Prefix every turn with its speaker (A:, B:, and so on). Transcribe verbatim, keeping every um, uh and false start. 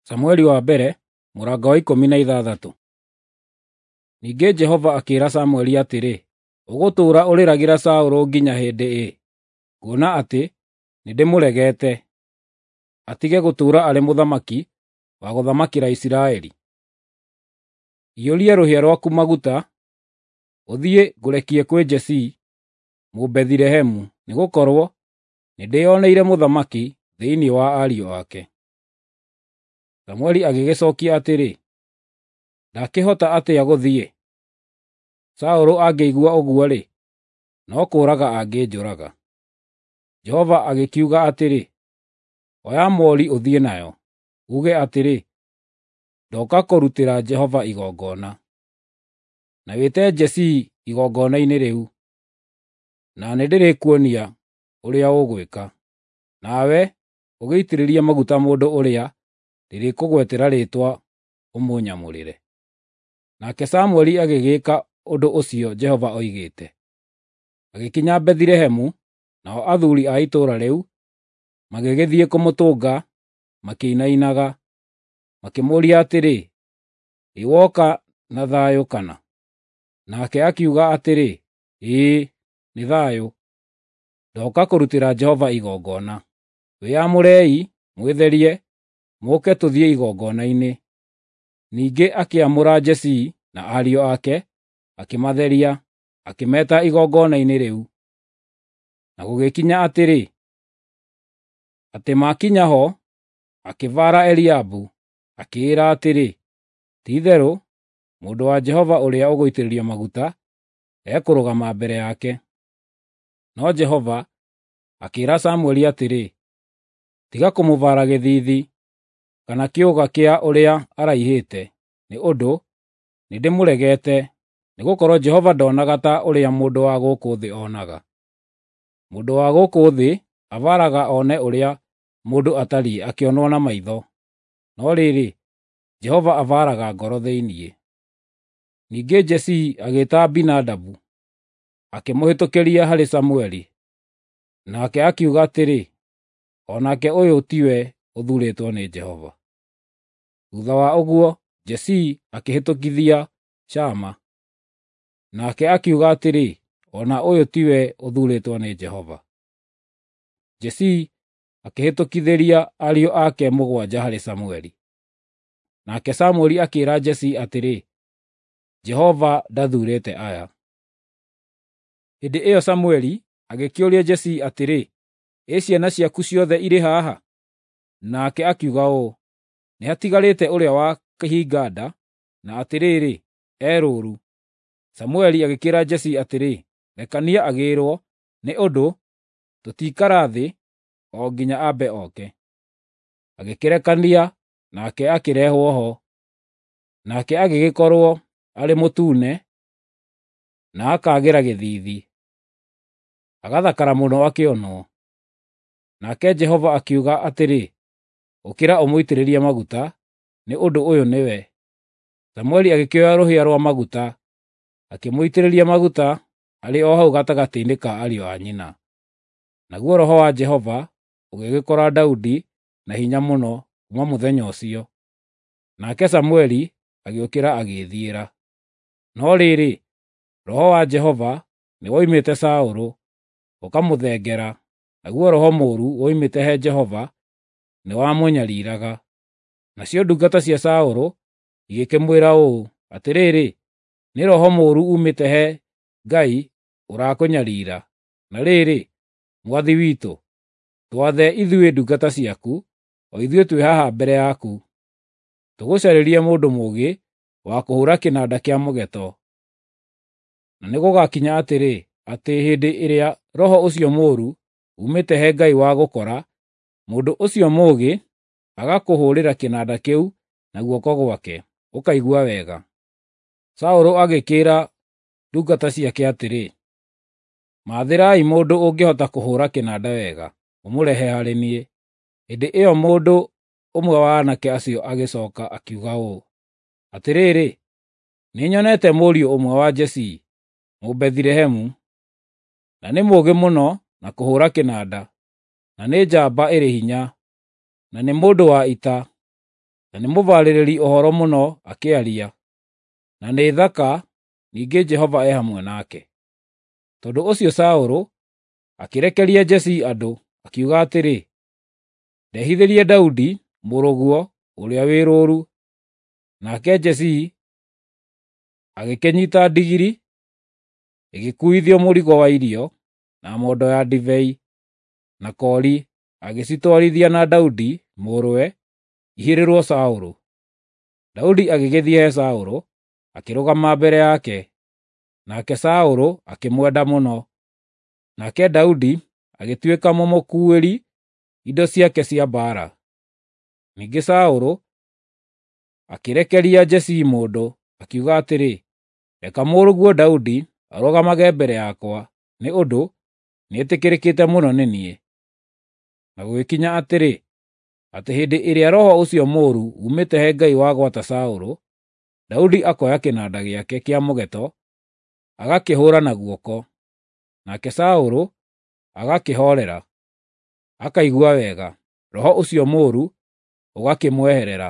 A: Samueli wa mbere mũrango wa ikũmi na ithathatũ. Ningĩ Jehova akĩĩra Samueli atĩrĩ, “Ũgũtũũra ũrĩragĩra Saũlũ nginya hĩndĩ ĩ, kuona atĩ nĩndĩmũregete, atige gũtũũra arĩ mũthamaki wa gũthamakĩra Isiraeli? Iyũria rũhĩa rwaku maguta, ũthiĩ ngũrekie kwĩ Jesii Mũbethilehemu, nĩgũkorwo nĩndĩĩoneire mũthamaki thĩinĩ wa ariũ ake.” Samueli agĩgĩcookia atĩrĩ, “Ndakĩhota atĩa gũthiĩ? Saũlũ angĩigua ũguo-rĩ, no kũũraga angĩnjũraga.” Jehova agĩkiuga atĩrĩ, “Oya moori ũthiĩ nayo, uuge atĩrĩ, ‘Ndoka kũrutĩra Jehova igongona.’ Na wĩte Jesii igongona-inĩ rĩu, na nĩndĩrĩkuonia ũrĩa ũgwĩka. Nawe ũgĩitĩrĩrie maguta mũndũ ũrĩa ndĩrĩkũgwetera rĩĩtwa ũmũnyamũrĩre.” Nake Samueli agĩgĩĩka ũndũ ũcio Jehova oigĩte. Agĩkinya Bethilehemu, nao athuuri a itũũra rĩu magĩgĩthiĩ kũmũtũnga makĩinainaga, makĩmũũria atĩrĩ, “Ĩ woka na thayũ kana?” Nake akiuga atĩrĩ, “Ĩĩ, nĩ thayũ. Ndoka kũrutĩra Jehova igongona. Wĩyamũrei, mwĩtherie, mũũke tũthiĩ igongona-inĩ.” Ningĩ akĩamũra Jesii na ariũ ake, akĩmatheria, akĩmeeta igongona-inĩ rĩu. Na gũgĩkinya atĩrĩ, atĩ maakinya ho, akĩbaara Eliabu, akĩĩra atĩrĩ, “Ti-itherũ mũndũ wa Jehova ũrĩa ũgũitĩrĩrio maguta ekũrũgama mbere yake.” No Jehova akĩĩra Samueli atĩrĩ, “Tiga kũmũbaara gĩthiithi kana kĩũga kĩa ũrĩa araihĩte, nĩ ũndũ nĩndĩmũregete, nĩgũkorwo Jehova ndonaga ta ũrĩa mũndũ wa gũkũ thĩ onaga. Mũndũ wa gũkũ thĩ abaaraga one ũrĩa mũndũ atariĩ akĩonwo na maitho, no rĩrĩ, Jehova abaaraga ngoro thĩinĩ.” Ningĩ Jesii agĩĩta Abinadabu, akĩmũhĩtũkĩria harĩ Samueli. Nake akiuga atĩrĩ, “O nake ũyũ tiwe ũthuurĩtwo nĩ Jehova.” Thuutha wa ũguo Jesii akĩhĩtũkithia Shama. Nake akiuga atĩrĩ, “O na ũyũ tiwe ũthuurĩtwo nĩ Jehova.” Jesii akĩhĩtũkithĩria ariũ ake mũgwanja harĩ Samueli. Nake Samueli akĩĩra Jesii atĩrĩ, “Jehova ndathuurĩte aya.” Hĩndĩ ĩyo Samueli agĩkĩũria Jesii atĩrĩ, “Ĩ ciana ciaku ciothe irĩ haha?” Nake akiuga ũũ, “Nĩhatigarĩte ũrĩa wa kĩhinga-nda, na atĩrĩrĩ, e rũũru.” Samueli agĩkĩĩra Jesii atĩrĩ, “Rekania agĩĩrwo, nĩ ũndũ tũtiikara thĩ o nginya ambe oke.” Agĩkĩrekania, nake akĩrehwo ho. Nake agĩgĩkorwo arĩ mũtune, na akaagĩra gĩthiithi, agathakara mũno akĩonwo. Nake Jehova akiuga atĩrĩ, “Ũkĩra ũmũitĩrĩrie maguta, nĩ ũndũ ũyũ nĩwe.” Samueli agĩkĩoya rũhĩa rwa maguta, akĩmũitĩrĩria maguta arĩ o hau gatagatĩ-inĩ ka ariũ a nyina. Naguo Roho wa Jehova ũgĩgĩkora Daudi na hinya mũno kuuma mũthenya ũcio. Nake Samueli agĩũkĩra agĩĩthiĩra. No rĩrĩ, Roho wa Jehova nĩwoimĩte Saũlũ, ũkamũthengera, naguo roho mũũru woimĩte he Jehova nĩwamũnyariiraga. Nacio ndungata cia Saũlũ igĩkĩmwĩra ũũ, “Atĩrĩrĩ, nĩ roho mũũru uumĩte he Ngai ũrakũnyariira. Na rĩrĩ, mwathi witũ, twathe ithuĩ ndungata ciaku, o ithuĩ twĩ haha mbere yaku, tũgũcarĩrie mũndũ mũũgĩ wa kũhũũra kĩnanda kĩa mũgeeto. Na nĩgũgakinya atĩrĩ, atĩ hĩndĩ ĩrĩa roho ũcio mũũru uumĩte he Ngai wagũkora, mũndũ ũcio mũũgĩ agakũhũũrĩra kĩnanda kĩu na guoko gwake, ũkaigua wega.” Saũlũ agĩkĩĩra ndungata ciake atĩrĩ, “Maathĩrai mũndũ ũngĩhota kũhũũra kĩnanda wega, mũmũrehe harĩ niĩ.” Hĩndĩ ĩyo mũndũ ũmwe wa aanake acio agĩcooka akiuga ũũ, “Atĩrĩrĩ, nĩnyonete mũriũ ũmwe wa Jesii Mũbethilehemu, na nĩ mũũgĩ mũno na kũhũũra kĩnanda, na nĩ njamba ĩrĩ hinya, na nĩ mũndũ wa ita, na nĩ mũbarĩrĩri ũhoro mũno akĩaria, na nĩ thaka, ningĩ Jehova e hamwe nake. Tondũ ũcio Saũlũ akĩrekeria Jesii andũ, akiuga atĩrĩ, “Ndehithĩrie Daudi, mũrũguo, ũrĩa wĩ rũũru.” Nake Jesii agĩkĩnyiita ndigiri, ĩgĩkuuithio mũrigo wa irio, na mondo ya ndibei, na koori, agĩcitwarithia na Daudi, mũrũwe, ihĩrĩrwo Saũlũ. Daudi agĩgĩthiĩ he Saũlũ, akĩrũgama mbere yake, nake Saũlũ akĩmwenda mũno. Nake Daudi agĩtuĩka mũmũkuuĩri indo ciake cia mbaara. Ningĩ Saũlũ akĩrekeria Jesii mũndũ, akiuga atĩrĩ, “Reka mũrũguo Daudi arũgamage mbere yakwa, nĩ ũndũ nĩetĩkĩrĩkĩte mũno nĩ niĩ.” Na gũgĩkinya atĩrĩ, atĩ hĩndĩ ĩrĩa roho ũcio mũũru uumĩte he Ngai wagwata Saũlũ, Daudi akoya kĩnanda gĩake kĩa mũgeeto, agakĩhũũra na guoko. Nake Saũlũ agakĩhoorera, akaigua wega, roho ũcio mũũru ũgakĩmweherera.